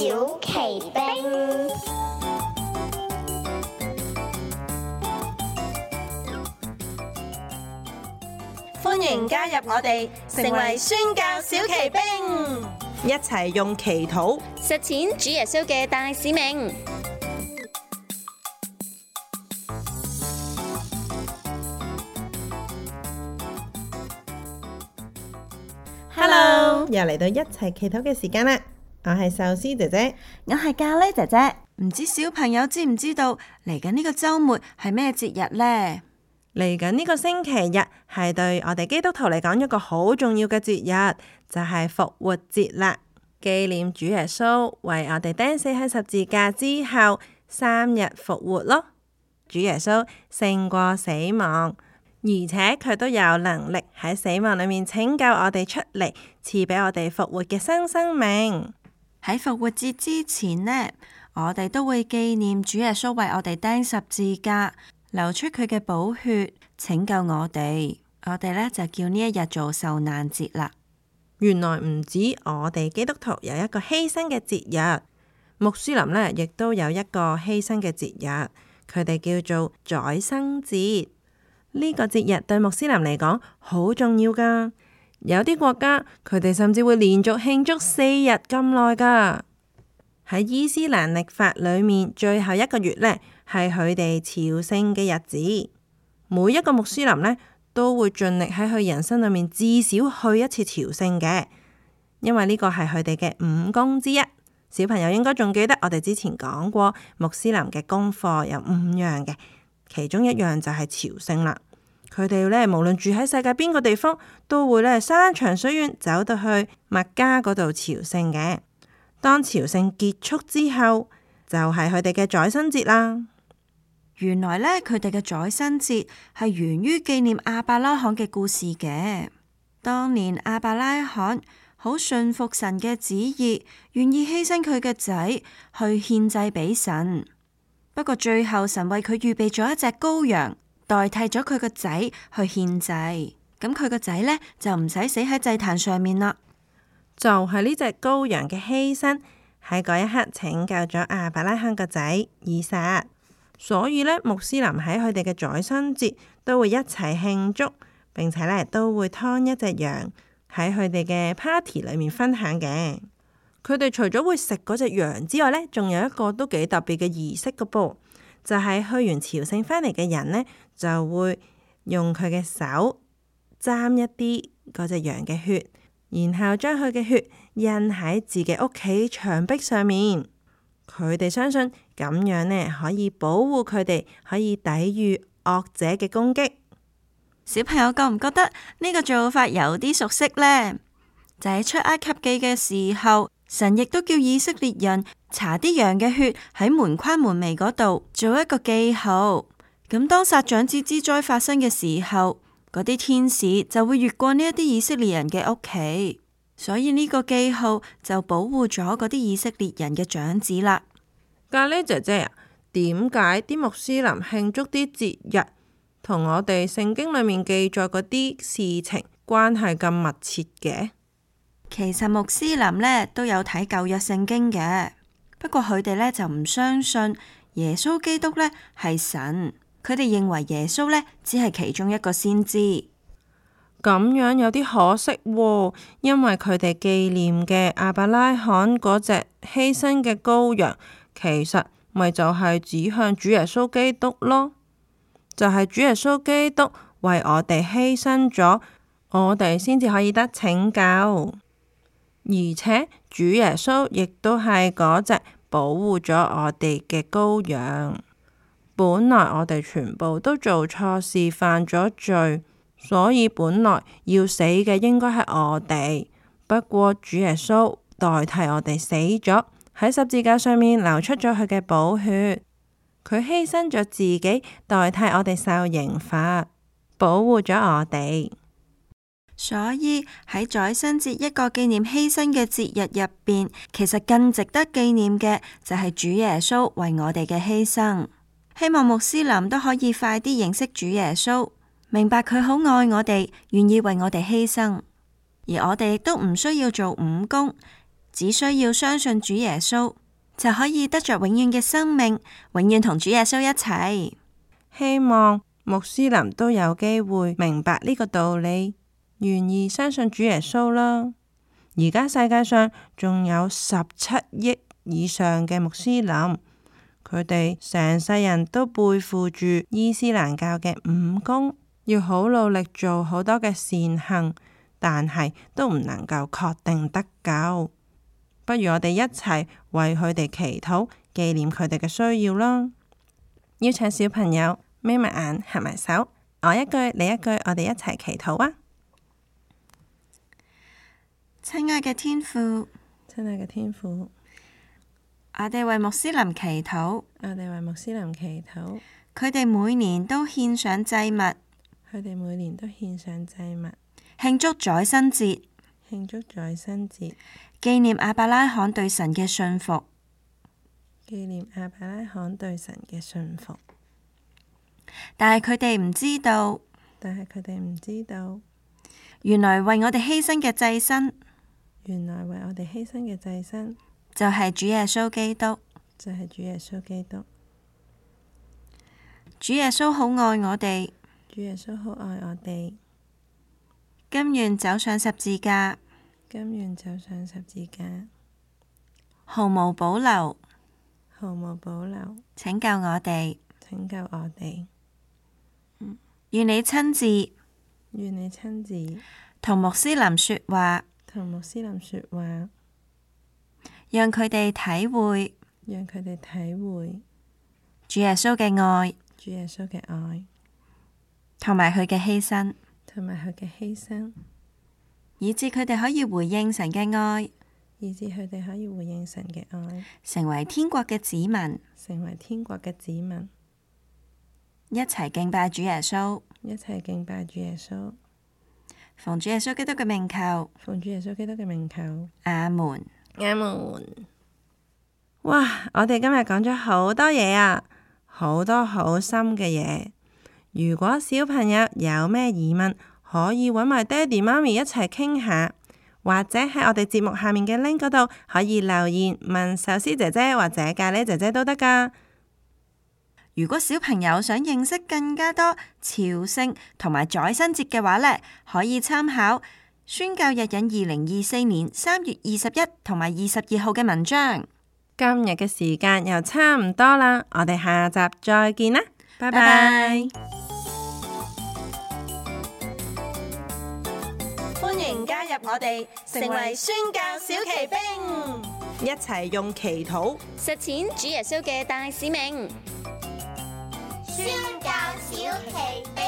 小奇兵。歡迎加入我哋，成為宣教小奇兵，一齊用祈禱實踐主耶穌嘅大使命。Hello，又嚟到一齊祈禱嘅時間啦！我係壽司姐姐，我係咖喱姐姐。唔知小朋友知唔知道嚟緊呢個週末係咩節日呢？嚟緊呢個星期日係對我哋基督徒嚟講一個好重要嘅節日，就係復活節啦。紀念主耶穌為我哋釘死喺十字架之後3日復活咯。主耶穌勝過死亡，而且佢都有能力喺死亡裏面拯救我哋出嚟，賜俾我哋復活嘅新生命。喺復活節之前呢，我哋都會紀念主耶穌為我哋釘十字架，流出佢嘅寶血，拯救我哋。我哋呢就叫呢一日做受難節啦。原來唔止我哋基督徒有一個犧牲嘅節日，穆斯林呢亦都有一個犧牲嘅節日，佢哋叫做宰牲節。呢個節日對穆斯林嚟講好重要噶，有啲國家佢哋甚至會連續慶祝4日咁耐噶。喺伊斯蘭曆法裏面，最後一個月呢係佢哋朝聖嘅日子。每一個穆斯林呢都會盡力喺佢人生裏面至少去一次朝聖嘅，因為呢個係佢哋嘅5功之一。小朋友應該仲記得我哋之前講過穆斯林嘅功課有5樣嘅，其中一樣就係朝聖啦。佢哋呢無論住喺世界邊個地方，都會呢山長水遠走到去麥加嗰度朝聖嘅。當朝聖結束之後，就係佢哋嘅宰牲節啦。原來呢，佢哋嘅宰牲節係源於紀念亞伯拉罕嘅故事嘅。當年亞伯拉罕好信服神嘅旨意，願意犧牲佢嘅仔去獻祭俾神。不過最後神為佢預備咗一隻羔羊，代替咗佢個仔去獻祭。咁佢個仔呢，就唔使死喺祭壇上面啦。就係呢隻羔羊嘅犧牲，喺嗰一刻拯救咗亞伯拉罕個仔以撒。所以呢，穆斯林喺佢哋嘅宰牲節都會一齊慶祝，並且呢都會劏一隻羊喺佢哋嘅 party 裏面分享嘅。佢哋除咗會食嗰隻羊之外呢，仲有一個都幾特別嘅儀式㗎噃，就係去完朝聖返嚟嘅人呢，就會用佢嘅手沾一啲嗰隻羊嘅血，然後將佢嘅血印喺自己屋企牆壁上面。佢哋相信咁樣呢可以保護佢哋，可以抵禦惡者嘅攻擊。小朋友覺唔覺得呢個做法有啲熟悉呢？就喺出埃及記嘅時候，神亦都叫以色列人搽啲羊嘅血喺門框門楣嗰度做一個記號。咁當殺長子之災發生嘅時候，嗰啲天使就會越過呢一啲以色列人嘅屋企。所以呢個記號就保護咗嗰啲以色列人嘅長子啦。咖喱姐姐啊，點解啲穆斯林慶祝啲節日同我哋聖經裏面記載嗰啲事情關係咁密切嘅？其實穆斯林呢都有睇舊約聖經嘅，不過佢哋呢就唔相信耶穌基督呢係神，佢哋認為耶穌呢只係其中一個先知。咁樣有啲可惜喎，因為佢哋紀念嘅亞伯拉罕嗰隻犧牲嘅羔羊，其實咪就係指向主耶穌基督咯，就係主耶穌基督為我哋犧牲咗，我哋先至可以得拯救，而且主耶穌亦都係嗰隻保護咗我哋嘅羔羊。本來我哋全部都做錯事，犯咗罪。所以本來要死嘅應該係我哋，不過主耶穌代替我哋死咗，喺十字架上面流出咗佢嘅寶血，佢犧牲咗自己，代替我哋受刑罰，保護咗我哋。所以喺宰牲節一個紀念犧牲嘅節日入邊，其實更值得紀念嘅就係主耶穌為我哋嘅犧牲。希望穆斯林都可以快啲認識主耶穌，明白佢好愛我哋，願意為我哋犧牲，而我哋亦都唔需要做5工，只需要相信主耶穌，就可以得着永遠嘅生命，永遠同主耶穌一齊。希望穆斯林都有機會明白呢個道理，願意相信主耶穌啦。而家世界上仲有17億以上嘅穆斯林，佢哋成世人都背負住伊斯蘭教嘅5功，要好努力做好多嘅善行，但係都唔能夠確定得救。不如我哋一齊為佢哋祈禱，紀念佢哋嘅需要啦。邀請小朋友眯埋眼，合埋手，我一句你一句，我哋一齊祈禱啊！親愛嘅天父，親愛嘅天父，我哋為穆斯林祈禱，我哋為穆斯林祈禱，佢哋每年都獻上祭物，佢哋每年都獻上祭物，慶祝宰牲節，慶祝宰牲節，紀念亞伯拉罕對神嘅信服，紀念亞伯拉罕對神嘅信服。但係佢哋唔知道，原來為我哋犧牲嘅祭牲，原來為我哋犧牲嘅祭牲就係主耶穌基督，就係主耶穌基督。主耶穌好愛我哋，主耶穌好愛我哋，甘願走上十字架，甘願走上十字架，毫無保留，毫無保留，拯救我哋，拯救我哋。願你親自，願你親自同穆斯林說話，同穆斯林說話，讓佢哋體會，讓佢哋體會主耶穌嘅愛，主耶穌嘅愛，同埋佢嘅犧牲，同埋佢嘅犧牲，以致佢哋可以回應神嘅愛，以致佢哋可以回應神嘅愛，成為天國嘅子民，成為天國嘅子民，一齊敬拜主耶穌，一齊敬拜主耶穌。奉主耶穌基督嘅名求，奉主耶穌基督嘅名求，阿門。阿門。哇！我哋今日講咗好多嘢啊，好多好深嘅嘢。如果小朋友有咩疑問，可以搵埋爹哋媽咪一齊傾下，或者喺我哋節目下面嘅 link 嗰度可以留言問壽司姐姐或者咖喱姐姐都得㗎。如果小朋友想認識更加多朝聖同埋宰牲節嘅話呢，可以參考宣教日引2024年3月21同埋22號嘅文章。今日嘅時間又差唔多啦，我哋下集再見啦，拜拜。歡迎加入我哋，成為宣教小騎兵，一齊用祈禱實踐主耶穌嘅大使命。宣教小奇兵。